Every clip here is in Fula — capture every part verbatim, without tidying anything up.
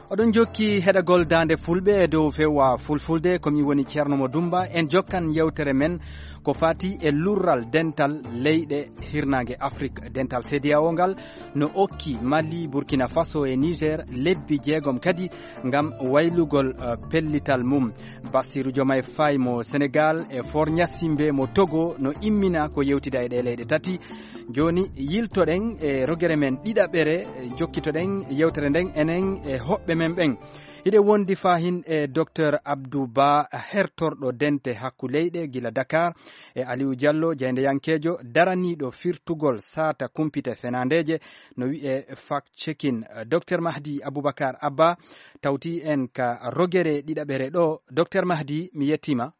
Oɗon jokki heɗagol Daande Fulɓe e dow V O A Fulfulde, ko mi woni Ceerno Mo Dumba. En jokkan yewtere men ko fati e lurral dental leyɗe hirnaange Afrik. Dental C D A O ngal no okki Mali, Burkina Faso e Niger lebbi jeegom kadi ngam waylugol, eh, pellital mum. Bassirou Diomaye Faye mo Senegal e Faure Gnassingbé mo Togo no immina ko yewtida e ɗe leyɗe tati. Jooni, yiltoɗen e rogere men ɗiɗaɓere, e jokkitoɗen yewtere nden enen e hoɓɓe men ɓen. Hiɗen wondi fahin e Docteur Abdou Ba, hertorɗo dente hakku leyɗe gila Dakar, e Aliou Diallo, jaayndeyankeejo daraniiɗo firtugol saata kumpite fenaandeeje, no wi'e fact checking. Docteur Mahdi Aboubacar Abba tawti en ka rogere ɗiɗaɓere ɗo. Docteur Mahdi, mi yettiima.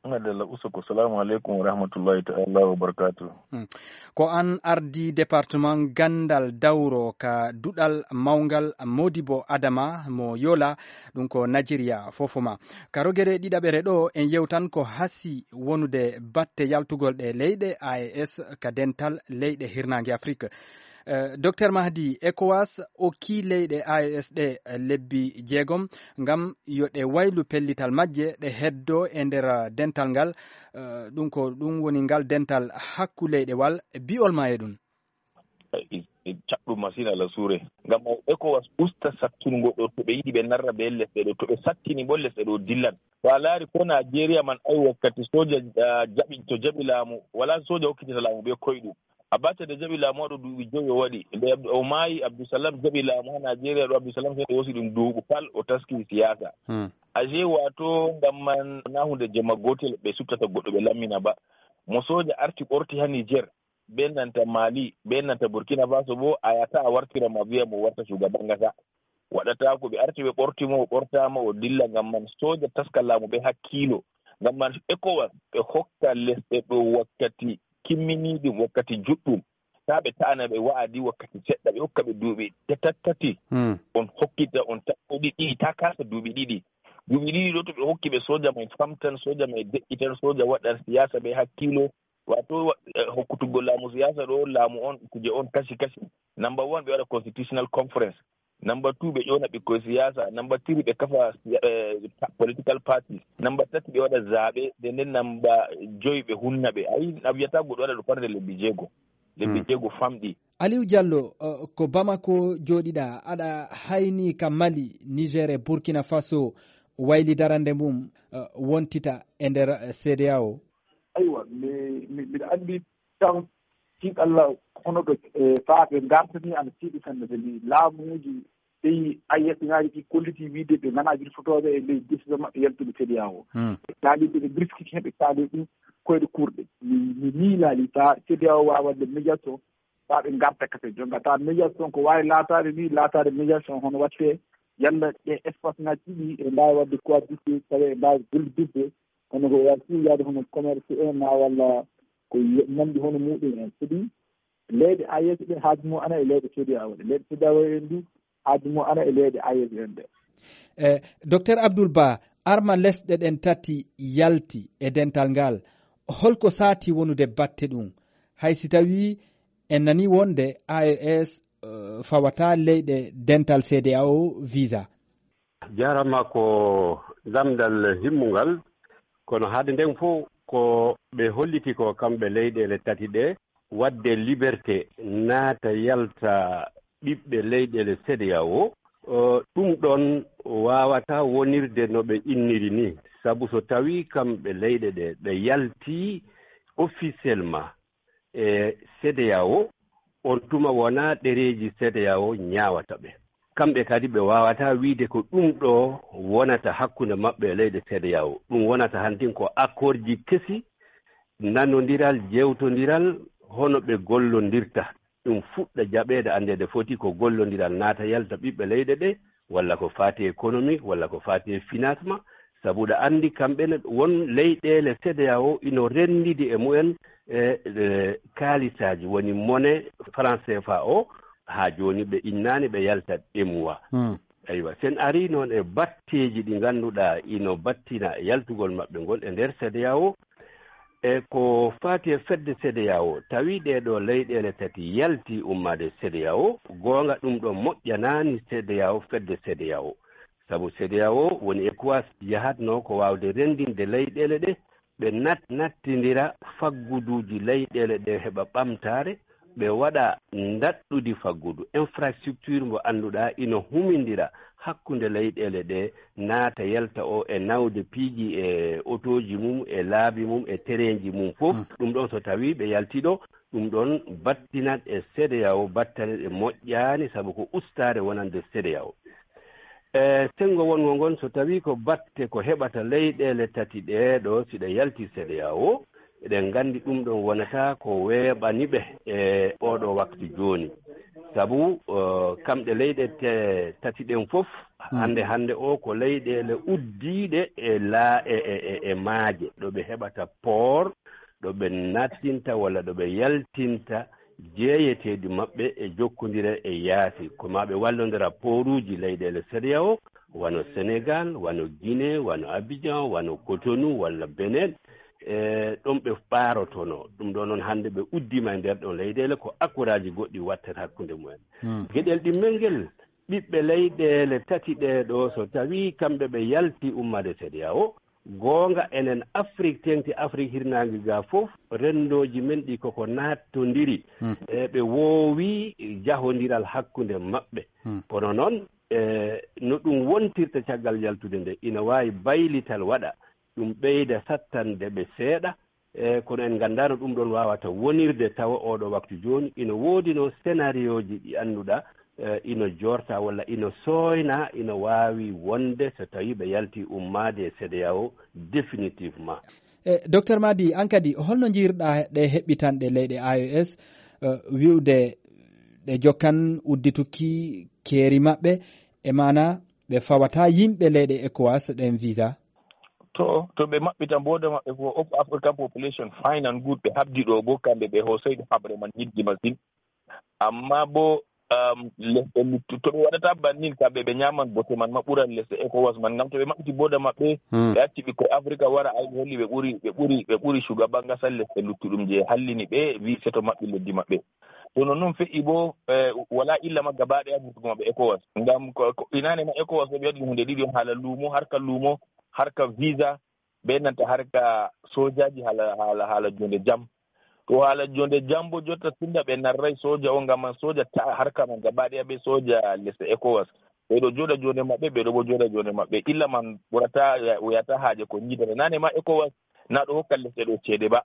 Madalla, usoko. Salaamu aleykum wa rahmatullahi ta'ala wa barakaatu. Hmm. Ko an ardi département Gandal Dawro ka duɗal mawngal Modibo Adama mo Yola, ɗum ko Nigeria fofoma. Ka rogere ɗiɗaɓere ɗo, en yewtan ko hasi wonude batte yaltugol ɗe leyɗe A E S ka dental leyɗe hirnaange Afrik. Eh, Docteur Mahdi, ECOWAS okki leyɗe A E S ɗe, eh, lebbi jeegom ngam yo ɗe waylu pellital majje, ɗe heddo e nder, eh, dental ngal. Eh, ɗum ko ɗum woni ngal dental hakku leyɗewal. Bi'ol ma e ɗum? E, e, e caɗɗum masin, Alla suure. Ngam ECOWAS usta sattungo ɗo, to ɓe yiɗi ɓe narra be lesɗe ɗo, to ɓe sattini bo lesɗe ɗo dillan. To a laari ko Nigeria man, ay wakkati soja, ah, jaɓi, to jaɓi laamu, wala soja hokkitata laamu be koyɗum. Abacha de jaɓi laamu ɗo duuɓi jowi o waɗi. Nde Abdu-, o maayi, Abdulsalam jaɓi laamu ha Nigeria ɗo, Abdulsalam sey o hosi ɗum duuɓu pal o taski siyasa. Hmm. Aje wato ngam man na hunde jemma gotel ɓe suttata goɗɗo ɓe lammina ba. Mo soja arti ɓorti ha Niger, be nanta Mali, be nanta Burkina Faso bo, a yata a wartira ma viya mo warta shugaban kasa. Waɗata ko ɓe arti ɓe ɓorti mo, o ɓortama o dilla. Ngam man soja taska laamu ɓe hakkiilo. Ngam man ECOWAS ɓe hokka lesɗe ɗo wakkati kimminiɗum, wakkati juɗɗum. Ta ɓe ta'ana ɓe wa'adi wakkati seɗɗa, ɓe hokka ɓe duuɓi tatattati. Hmm. On hokkita, on taɓɓoɗi ɗiɗi, ta kasa duuɓi ɗiɗi. Duuɓi ɗiɗi ɗo to ɓe hokki ɓe soja may famtan, soja may deƴƴitan, soja waɗan siyasa be hakkiilo. Wato, wa-, eh, hokkutuggo laamu siyasa ɗo, laamu on, kuje on kashi kashi. Number one, ɓe waɗa constitutional conference. Number two, ɓe ƴona ɓikkoy siyasa. Number three, ɓe kafa, eh, pa-, political parties. Number tati, ɓe waɗa zaɓe. Nden nden number joyi, ɓe hunna ɓe. Ayi, a wiyata goɗɗo waɗa ɗo farde lebbi jeego. Lebbi Hmm. jeego famɗi. Aliou Diallo, eh, ko Bamako jooɗiɗa, aɗa hayni ka Mali, Niger e Burkina Faso wayli darande mum, eh, wontita e nder, eh, C D A O? Aywa, mi, mi, miɗa anndi tan, tiiɗalla hono ɗo, eh, faa ɓe ngartani ana tiiɗi sanne, sabi laamuuji pays A E S ŋaaji ɗi kolliti wiide ɓe nganaa wirtotooɓe e ley décision maɓɓe yaltude C D A O. Hmm. Ɓe kaali ɓe, ɓe briskiti heen, ɓe kaali ɗum koyɗe kurɗe. Mi, mi miilaali faa C D A O waawa waɗde médiation, faa ɓe ngarta kafe. Jonka tawa médiation ko waawi laataade ni, laataade médiation hono waɗte yalla ɗe espace ŋaaji ɗiɗi e mbaawi waɗde cohabitation, tawa e mbaawi gollidde. Kono ko waawi fii yaade hono commerce en ma walla ko ye-, nanndi hono muɗum en. Sabi leyɗe A E S ɗe haaju mum ana e leyɗe C D A O ɗe. Leyɗe C D A O en du haaju mum ana e leyɗe A E S en ɗe. E, Docteur Abdoul Ba, arma lesɗe ɗen tati yalti e dental ngal. Holko saati wonude batte ɗum? Hay si tawii en nanii wonde A E S, eh, fawataa leyɗe dental C D A O visa. Jarama ko lamndal himmungal, kono hade nden fof ko ɓe holliti ko kamɓe leyɗeele tati ɗe, waɗde liberté naata yalta ɓiɓɓe leyɗeele C D A O, o, ɗum ɗon waawata wonirde no ɓe inniri ni, sabu so tawii kamɓe leyɗe ɗe ɓe yaltii officiellement e C D A O, on tuma wonaa ɗereeji C D A O ñaawata ɓe. Kamɓe kadi ɓe waawataa wiide ko ɗum ɗo wonata hakkunde maɓɓe e leyɗe C D A O. Ɗum wonata hantin ko accord ji kesi, nanondiral, jewtondiral, hono ɓe gollondirta. Ɗum fuɗɗa jaɓeede, anndeede foti ko gollondiral naata yalta ɓiɓɓe leyɗe ɗe, walla ko faati économie, walla ko faati financement, sabu ɗa anndi kamɓe ne won leyɗeele C D A O ino renndidi e mumen e, e kaalisaaji, woni monnaie franc C F A o, haa jooni ɓe innaani ɓe yaltat E M O A. Hmm. Aywa, sen arii noon e batteeji ɗi ngannduɗaa ino battina e yaltugol maɓɓe ngol e nder C D A O, e ko faati e fedde C D A O, tawi ɗee ɗoo leyɗeele tati yalti ummaade C D A O, goonga ɗum ɗo moƴƴanaani C D A O, fedde C D A O. Sabu CEDEAO woni ECOWAS yahatnoo ko waawde renndinde leyɗeele ɗe, ɓe nat-, nattindira fagguduuji leyɗeele ɗe heɓa ɓamtaare, ɓe waɗa ndaɗɗudi faggudu, infrastructure mo annduɗaa ina humindira hakkunde leyɗeele ɗe, naata yalta o e nawde piiji e otooji mum, e laabi mum, e tereenji mum fof. Ɗum ɗon so tawii ɓe yaltii ɗo, ɗum ɗon battinat e CEDEAO battane ɗe moƴƴaani, sabu ko ustaare wonande CEDEAO. E senngo wonngo ngon, so tawii ko batte ko heɓata leyɗeele tati ɗee ɗo, si ɗe yaltii CEDEAO, eɗen nganndi ɗum ɗon wonata ko weeɓani ɓe e ooɗo waktu jooni. Sabu, eh, kamɗe leyɗe te-, tati ɗen fof, hannde hannde o ko leyɗeele uddiiɗe e laa-, e, e, e, e maaje, ɗo ɓe heɓata poor, ɗo ɓe nattinta walla ɗo ɓe yaltinta jeeyeteeɗi maɓɓe e jokkondire e yaasi. Ko maa ɓe wallondira pooruuji leyɗeele CEDEAO, wano Senegal, wano Guinée, wano Abidjan, wano Cotonou walla Benin. E ɗon ɓe ɓaarotonoo. Ɗum ɗoo noon hannde ɓe uddiima e nder ɗon leyɗeele ko akkoraaji goɗɗi wattata hakkunde mumen. Geɗel ɗimmel ngel, ɓiɓɓe leyɗeele tati ɗee ɗoo, so tawii kamɓe ɓe yaltii ummaade CEDEAO, goonga enen Afrik, teeŋti Afrik hirnaange ga fof, renndooji men ɗi koko naattondiri. E ɓe woowi jahondiral hakkunde maɓɓe. Kono noon, e no ɗum wontirta caggal yaltude nde, ina waawi baylital waɗa, ɗum ɓeyda sattande ɓe seeɗa. E kono en nganndaano ɗum ɗon waawata wonirde tawa ooɗo waktu jooni. Ina woodino scénarioji ɗi annduɗaa, eh, ino joorta walla ino sooyna, ino waawi wonde so tawii ɓe yaltii ummaade e CEDEAO définitivement. E, Docteur Madi, an kadi, holno njiirɗaa ɗe heɓɓitanɗe leyɗe A E S, eh, wi'ude ɗe jokkan uddituki keeri maɓɓe, e maana ɓe fawata yimɓe leyɗe ECOWAS ɗen visa? To, to ɓe maɓɓita booda maɓɓe ko Op-, African Population Fine and Good, ɓe habdi ɗo bo kamɓe ɓe hoosay ɗo haɓre man yidde masin. Amma bo, um, lesɗe luttu-, to ɓe waɗata bannin kamɓe ɓe ñaaman bote man ma ɓuran lesɗe ECOWAS man, ngam to ɓe maɓɓiti booda maɓɓe, ɓe acci ɓikkoy Afrika wara ay ɓe holli ɓe ɓuri, ɓe ɓuri, ɓe ɓuri shugaban gasal lesɗe luttuɗum je hallini ɓe, wi seto maɓɓi leddi maɓɓe. To non non fe'i bo, eh, wala illa ma gaba ɗaya vurtugo maɓɓe ECOWAS. Ngam ko, ko inane ma ECOWAS ɓe waɗi hunde ɗiɗi on, hala lumo, harka lumo, harka visa, be nanta harka sojaji hala, hala, hala jonde jam. To hala jonde jam bo jotta tunda ɓe narrai soja on, ngam man soja ta harka man gaba ɗaya be soja lesɗe ECOWAS. Ɓe ɗo joɗa jonde maɓɓe, ɓe ɗo bo joɗa jonde maɓɓe. Illa man ɓurata, ya-, wiyata haaje ko jiidata. Nane ma ECOWAS na ɗo hokka lesɗe ɗo ceede ba.